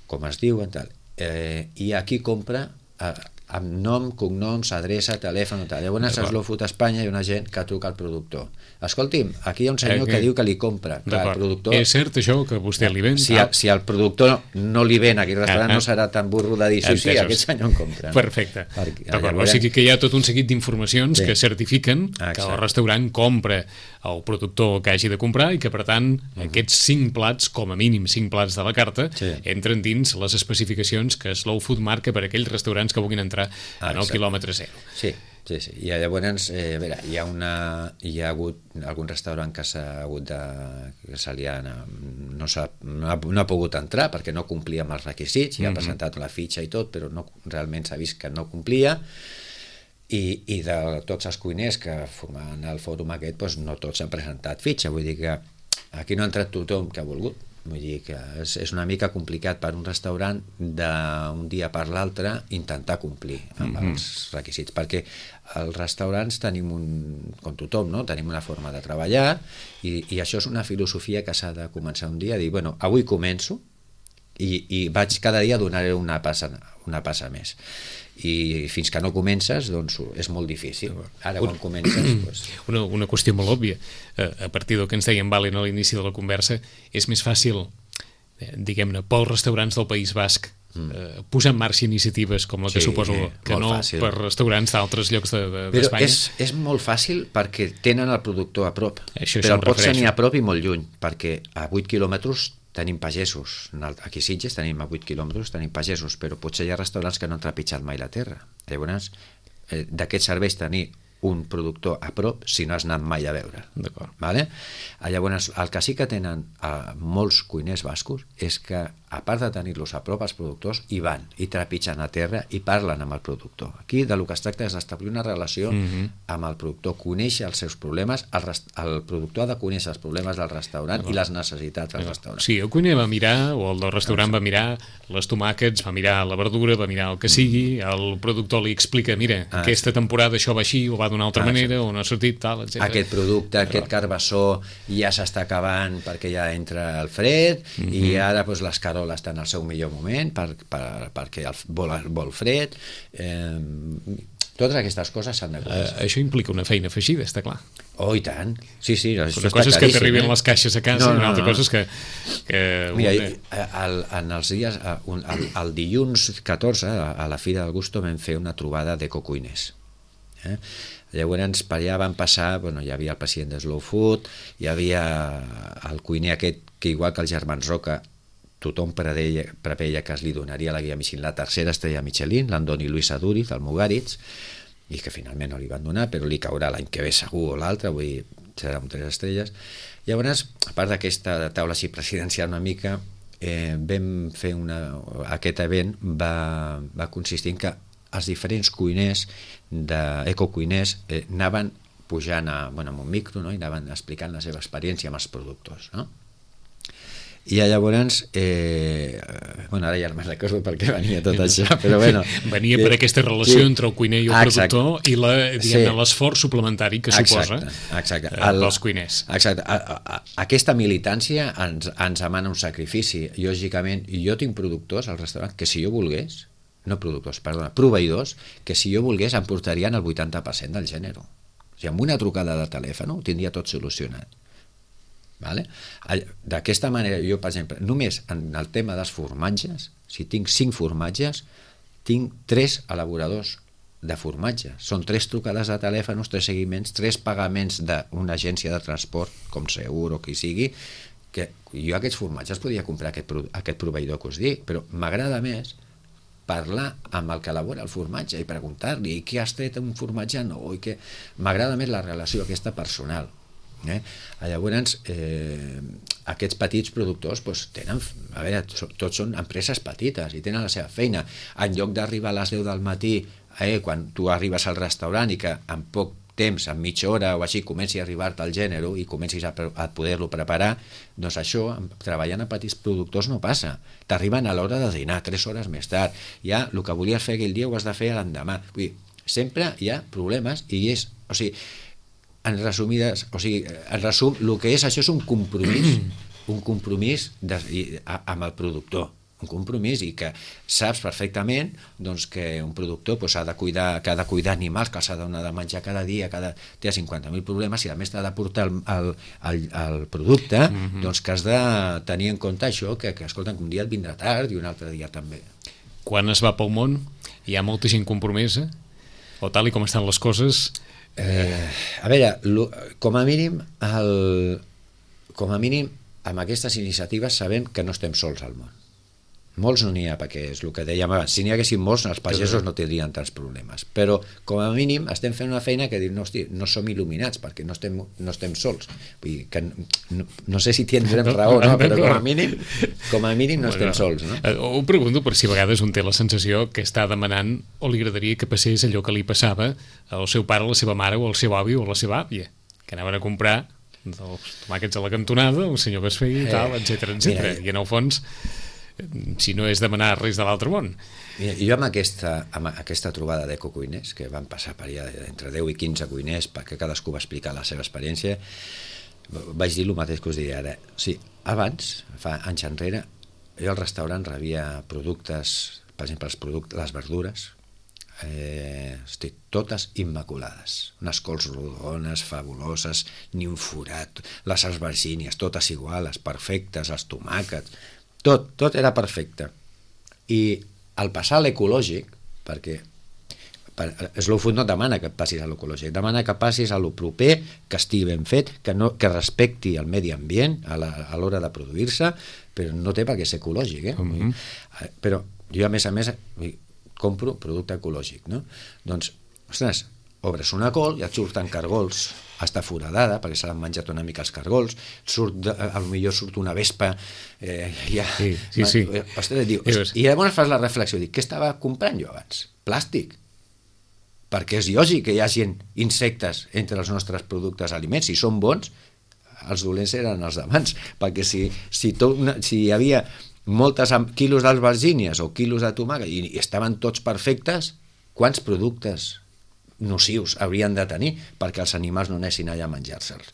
S3: com es diuen, tal. Eh, i aquí compra eh, amb nom, cognoms, adreça, telèfon, tal. Llavors a Slow Food Espanya hi ha una gent que truca al productor. Escolti'm, aquí hi ha un senyor eh, que diu que li compra. Que el productor,
S2: és cert això que vostè li ven?
S3: Si, a, si el productor no li ven a aquell restaurant, ah, ah. no serà tan burro de dir sí, sí, aquest senyor en compra. No?
S2: Perfecte. Perquè, llavors... O sigui que hi ha tot un seguit d'informacions sí. que certifiquen Exacte. Que el restaurant compra el productor que hagi de comprar i que, per tant, uh-huh. aquests cinc plats, com a mínim cinc plats de la carta, sí. entren dins les especificacions que Slow Food marca per a aquells restaurants que vulguin entrar en el quilòmetre zero.
S3: Sí. Sí, sí. I llavors, eh, a veure, hi ha, una, hi ha hagut algun restaurant que s'ha hagut de... que se li ha, no, s'ha, no, ha, no ha pogut entrar perquè no complia amb els requisits, i ha presentat la fitxa i tot, però no, realment s'ha vist que no complia, i, i de tots els cuiners que formaven el fòrum aquest, doncs no tots han presentat fitxa, vull dir que aquí no ha entrat tothom que ha volgut. Vull dir que és, és una mica complicat per un restaurant d'un dia per l'altre intentar complir amb mm-hmm. els requisits, perquè els restaurants tenim un, com tothom, no? Tenim una forma de treballar i, i això és una filosofia que s'ha de començar un dia a dir, bueno, avui començo i, i vaig cada dia donar una passa, una passa més. i fins que no comences doncs és molt difícil. Ara quan comences doncs...
S2: una, una qüestió molt òbvia, a partir del que ens deia en Valen a l'inici de la conversa, és més fàcil, diguem-ne, pels restaurants del País Basc eh, posar en marxa iniciatives com la que
S3: Sí,
S2: suposo que no
S3: fàcil.
S2: per restaurants d'altres llocs d'Espanya.
S3: Però
S2: de, de
S3: és, és molt fàcil perquè tenen el productor a prop.
S2: Això,
S3: però
S2: això
S3: el pots
S2: refereixo.
S3: tenir a prop i molt lluny, perquè a vuit quilòmetres tenim pagesos. Aquí a Sitges tenim a vuit quilòmetres, tenim pagesos, però potser hi ha restaurants que no han trepitjat mai la terra. Llavors, eh, d'aquests serveis tenir un productor a prop si no has anat mai a veure.
S2: D'acord.
S3: Vale? Llavors, el que sí que tenen eh, molts cuiners bascos és que, a part de tenir-los a prop, els productors hi van, i trepitgen a terra i parlen amb el productor. Aquí de lo que es tracta és d'establir una relació
S2: Mhm.
S3: amb el productor, conèixer els seus problemes, el, rest... el productor ha de conèixer els problemes del restaurant i les necessitats del restaurant.
S2: Sí, el cuiner va mirar, o el del restaurant va mirar les tomàquets, va mirar la verdura, va mirar el que sigui, el productor li explica, mira,
S3: Ah,
S2: aquesta temporada això va així, o va d'una altra
S3: Ah,
S2: manera, o no ha sortit, tal, etcètera.
S3: Aquest producte, aquest carbassó ja s'està acabant perquè ja entra el fred
S2: Mhm.
S3: i ara doncs, l'escarola està en el seu millor moment per, per, perquè el, vol, vol fred. Eh, totes aquestes coses s'han de conèixer.
S2: Eh, això implica una feina afegida, està clar.
S3: Oh, i tant. Sí, sí, això
S2: Una
S3: està
S2: cosa és que
S3: claríssim,
S2: t'arribin
S3: eh?
S2: les caixes a casa,
S3: No,
S2: i una
S3: no,
S2: altra
S3: no.
S2: cosa és que... que
S3: Mira,
S2: un-
S3: el, en els dies, el, el dilluns catorze, a la Fira del Gusto, vam fer una trobada d'ecocuiners. Eh? Llavors, per allà van passar, bueno, hi havia el president de Slow Food, hi havia el cuiner aquest, que igual que els germans Roca, tothom preveia, preveia que es li donaria la guia Michelin, la tercera estrella Michelin, l'Andoni Luis Aduriz, el Mugaritz, i que finalment no li van donar, però li caurà l'any que ve segur o l'altre, vull dir, serà amb tres estrelles. Llavors, a part d'aquesta taula així presidencial una mica, eh, vam fer una... Aquest event va, va consistir en que els diferents cuiners, d'ecocuiners, eh, anaven pujant a, bueno, amb un micro, no? I anaven explicant la seva experiència amb els productors, no? I llavors, eh, bueno, ara ja no me'n recordo per què venia tot això, però bueno...
S2: Venia per aquesta relació
S3: sí,
S2: entre el cuiner i el
S3: exacte.
S2: productor i la, diguem-ne,
S3: Sí.
S2: l'esforç suplementari que suposa
S3: Exacte, exacte.
S2: eh, pels cuiners.
S3: Exacte. A, a, a, aquesta militància ens, ens demana un sacrifici. Lògicament, jo tinc productors al restaurant que si jo volgués, no productors, perdona, proveïdors, que si jo volgués em portarien el vuitanta per cent del gènere. O sigui, amb una trucada de telèfon ho tindria tot solucionat. Vale? D'aquesta manera, jo, per exemple, només en el tema dels formatges, si tinc cinc formatges, tinc tres elaboradors de formatges. Són tres trucades de telèfon, tres seguiments, tres pagaments d'una agència de transport, com Segur o qui sigui, que jo aquests formatges podria comprar aquest, aquest proveïdor que us dic, però m'agrada més parlar amb el que elabora el formatge i preguntar-li què has tret un formatge nou, i que m'agrada més la relació aquesta personal. Eh? Llavors, eh, aquests petits productors doncs, tenen, a veure, tots són empreses petites i tenen la seva feina. En lloc d'arribar a les deu del matí, eh, quan tu arribes al restaurant i que en poc temps, en mitja hora o així, comenci a arribar-te el gènere i comencis a, a poder-lo preparar, doncs això, treballant a petits productors no passa. T'arriben a l'hora de dinar, tres hores més tard. Ja el que volies fer aquell dia ho has de fer l'endemà. Vull dir, sempre hi ha problemes i és... O sigui, en resumides, o sigui, en resum, el que és això és un compromís, un compromís de, a, amb el productor, un compromís i que saps perfectament doncs, que un productor doncs, ha de cuidar, que ha de cuidar animals, que s'ha de menjar cada dia, cada, té cinquanta mil problemes i a més t'ha de portar el, el, el, el producte, mm-hmm. doncs que has de tenir en compte això, que, que escolta, un dia et vindrà tard i un altre dia també.
S2: Quan es va pel món hi ha molta gent compromesa, o tal i com estan les coses...
S3: Eh, a veure, lo, com a mínim el, com a mínim amb aquestes iniciatives sabem que no estem sols al món. Molts no n'hi ha, perquè és el que dèiem abans, si n'hi haguessin molts els pagesos no tindrien tants problemes, però com a mínim estem fent una feina que diu, no, hosti, no som il·luminats perquè no estem, no estem sols. Vull dir que no, no sé si tindrem raó, no? Però com a mínim com a mínim no estem sols, no?
S2: Ho pregunto per si a vegades un té la sensació que està demanant o li agradaria que passés allò que li passava al seu pare, a la seva mare o al seu avi o a la seva àvia, que anaven a comprar els tomàquets a la cantonada, el senyor que es feia i tal, etcètera, etcètera. I en el fons, si no és demanar res de l'altre món.
S3: Mira, jo amb aquesta, amb aquesta trobada d'ecocuiners, que van passar per allà entre deu i quinze cuiners, perquè cadascú va explicar la seva experiència, vaig dir el mateix que us diré ara. O sigui, abans, fa anys enrere, jo al restaurant rebia productes, per exemple, els productes, les verdures, eh, hosti, totes immaculades, unes cols rodones, fabuloses, ni un forat, les albergínies, totes iguals, perfectes, els tomàquets, tot, tot era perfecte. I al passar a l'ecològic, perquè Slow Food no et demana que et passis a l'ecològic, demana que passis a lo proper, que estigui ben fet, que, no, que respecti el medi ambient a l'hora de produir-se, però no té per què ser ecològic, eh? Mm-hmm. Però jo, a més a més, compro producte ecològic, no? Doncs, ostres, obres una col i et surten cargols, està foradada, perquè se l'han menjat una mica els cargols, surt, potser surt una vespa, eh, ja...
S2: Sí, sí, sí.
S3: Ostres, diu, i llavors fas la reflexió, dic, què estava comprant jo abans? Plàstic. Perquè és lògic que hi hagi insectes entre els nostres productes aliments. Si són bons, els dolents eren els d'abans, perquè si, si, tot, si hi havia moltes quilos d'albergínies o quilos de tomàquet i, i estaven tots perfectes, quants productes nocius haurien de tenir perquè els animals no anessin allà a menjar-se'ls?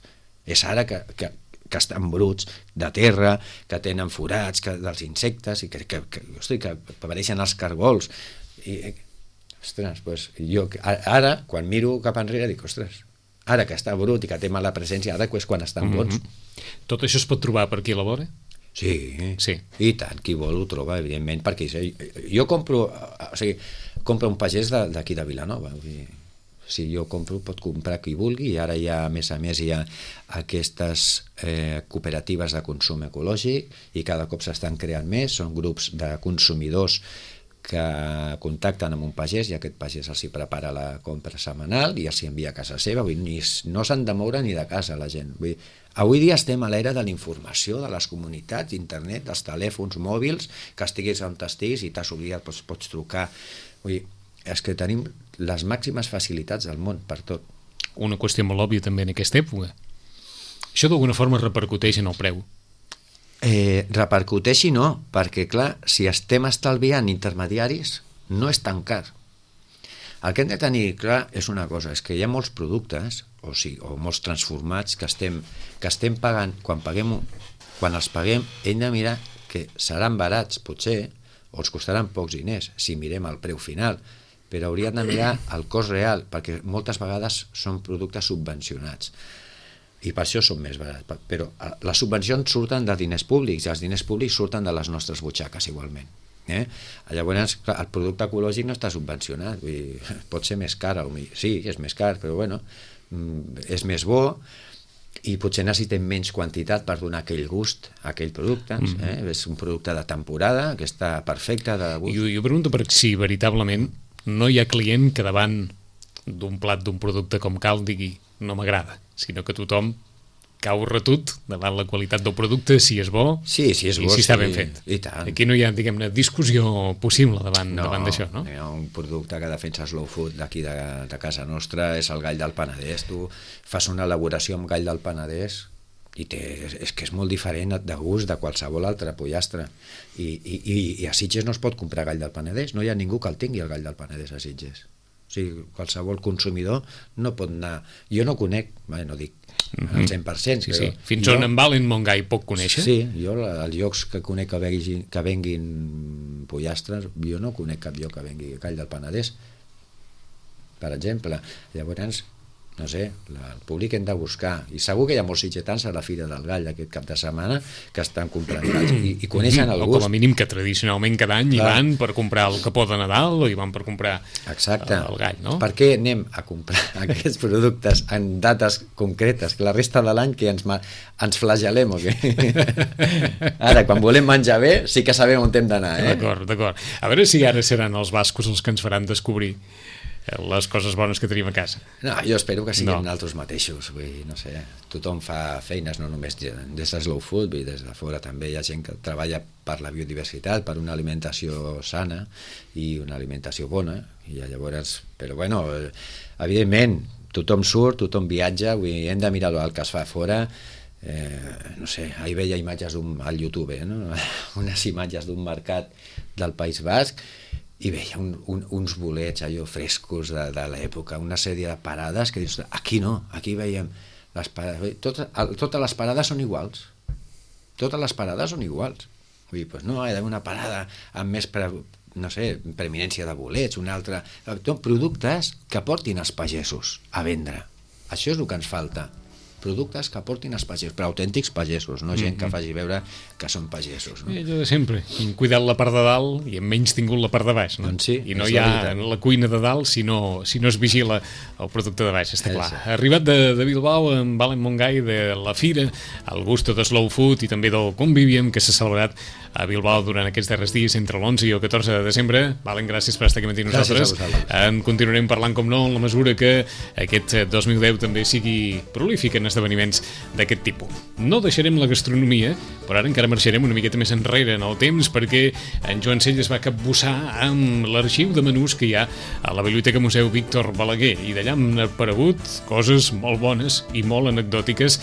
S3: És ara que, que, que estan bruts de terra, que tenen forats que, dels insectes i que, que, que, hosti, que apareixen els cargols i ostres, doncs jo ara, quan miro cap enrere, dic, ostres, ara que està brut i que té mala presència, ara és quan estan bons.
S2: Mm-hmm. Tot això es pot trobar per aquí a la vora?
S3: Sí, sí, i tant, qui vol ho troba, evidentment, perquè jo compro, o sigui, compro un pagès d'aquí de Vilanova, vull dir, si jo compro, pot comprar qui vulgui, i ara hi ha, a més a més, hi ha aquestes eh, cooperatives de consum ecològic, i cada cop s'estan creant més, són grups de consumidors que contacten amb un pagès i aquest pagès els hi prepara la compra setmanal i els hi envia a casa seva. Vull dir, no s'han de moure ni de casa la gent. Vull dir, avui dia estem a l'era de la informació, de les comunitats, internet, dels telèfons mòbils, que estiguis on estiguis i t'has oblidat, pots, pots trucar. Vull dir, és que tenim les màximes facilitats del món per tot.
S2: Una qüestió molt òbvia també en aquesta època. Això d'alguna forma repercuteix en el preu?
S3: Eh, repercuteixi no, perquè clar, si estem estalviant intermediaris no és tan car. El que hem de tenir clar és una cosa, és que hi ha molts productes o, sí, o molts transformats que estem, que estem pagant, quan, paguem, quan els paguem hem de mirar que seran barats potser o els costaran pocs diners si mirem el preu final, però hauríem de mirar el cost real, perquè moltes vegades són productes subvencionats i per això són més barats, però les subvencions surten de diners públics i els diners públics surten de les nostres butxaques igualment, eh? Llavors clar, el producte ecològic no està subvencionat, vull dir, pot ser més car, sí, és més car, però bueno, és més bo i potser necessitem menys quantitat per donar aquell gust a aquell producte, eh? És un producte de temporada que està perfecte de gust.
S2: Jo, jo pregunto per si veritablement no hi ha client que davant d'un plat d'un producte com cal digui no m'agrada, sinó que tothom cau retut davant la qualitat del producte, si és bo,
S3: sí, si és
S2: i
S3: bo,
S2: si està
S3: sí,
S2: ben fet.
S3: I tant.
S2: Aquí no hi ha, diguem-ne, discussió possible davant,
S3: no,
S2: davant d'això, no?
S3: Hi ha un producte que defensa Slow Food d'aquí de, de casa nostra, és el gall del Penedès. Tu fas una elaboració amb gall del Penedès i té, és que és molt diferent de gust de qualsevol altre pollastre. I, i, i, i a Sitges no es pot comprar gall del Penedès, no hi ha ningú que el tingui el gall del Penedès a Sitges. O sigui, qualsevol consumidor no pot anar... Jo no conec, bé, no dic al cent per cent,
S2: sí,
S3: però...
S2: Sí. Fins
S3: jo,
S2: on en Valen Montgai pot conèixer?
S3: Sí, jo els llocs que conec que venguin, que venguin pollastres, jo no conec cap lloc que vengui gall del Penedès, per exemple. Llavors, no sé, la, el públic hem de buscar, i segur que hi ha molts sitgetans a la Fira del Gall aquest cap de setmana que estan comprant galls i, i coneixen el gust.
S2: O com a mínim que tradicionalment cada any hi van per comprar el capó de Nadal o hi van per comprar
S3: Exacte.
S2: el gall, no?
S3: Per què anem a comprar aquests productes en dates concretes, que la resta de l'any que ens, ens flagel·lem o què? Ara, quan volem menjar bé, sí que sabem on hem d'anar, eh?
S2: D'acord, d'acord. A veure si ara seran els bascos els que ens faran descobrir les coses bones que tenim a casa.
S3: No, jo espero que siguin
S2: no.
S3: altres mateixos, vull dir, no sé, tothom fa feines, no només des de Slow Food, vull dir, des de fora també hi ha gent que treballa per la biodiversitat, per una alimentació sana i una alimentació bona, i llavors, però bueno, evidentment, tothom surt, tothom viatja, vull dir, hem de mirar el que es fa a fora. Eh, no sé, ahir veia imatges al YouTube, eh, no? Unes imatges d'un mercat del País Basc i veia un, un, uns bolets allò frescos de, de l'època, una sèrie de parades que dius, aquí no, aquí veiem les parades, tot, el, totes les parades són iguals, totes les parades són iguals, vull dir, pues no, hi ha d'haver una parada amb més pre, no sé, preeminència de bolets, un altre... Productes que portin els pagesos a vendre. Això és el que ens falta. Productes que portin els pagesos, però autèntics pagesos, no gent que faci veure que són pagesos. No?
S2: Allò de sempre, hem cuidat la part de dalt i hem menys tingut la part de baix. No?
S3: Doncs sí,
S2: I no hi ha la cuina de dalt si no, si no es vigila el producte de baix, està clar. Ha arribat de, de Bilbao en Valen Montgai, de la Fira, el gusto de Slow Food i també del Convivium, que s'ha celebrat a Bilbao durant aquests darrers dies entre l'onze i el catorze de desembre. Valen, gràcies per estar aquí amb nosaltres. En continuarem parlant, com no, en la mesura que aquest dos mil deu també sigui prolífic en esdeveniments d'aquest tipus. No deixarem la gastronomia, però ara encara marxarem una miqueta més enrere en el temps, perquè en Joan Cell es va capbussar amb l'arxiu de menús que hi ha a la Biblioteca Museu Víctor Balaguer, i d'allà han aparegut coses molt bones i molt anecdòtiques,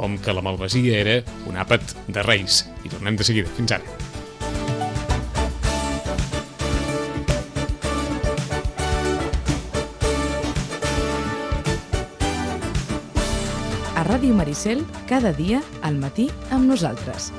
S2: com que la malvasia era un àpat de Reis. I tornem de seguida. Fins ara.
S1: A Ràdio Maricel, cada dia al matí amb nosaltres.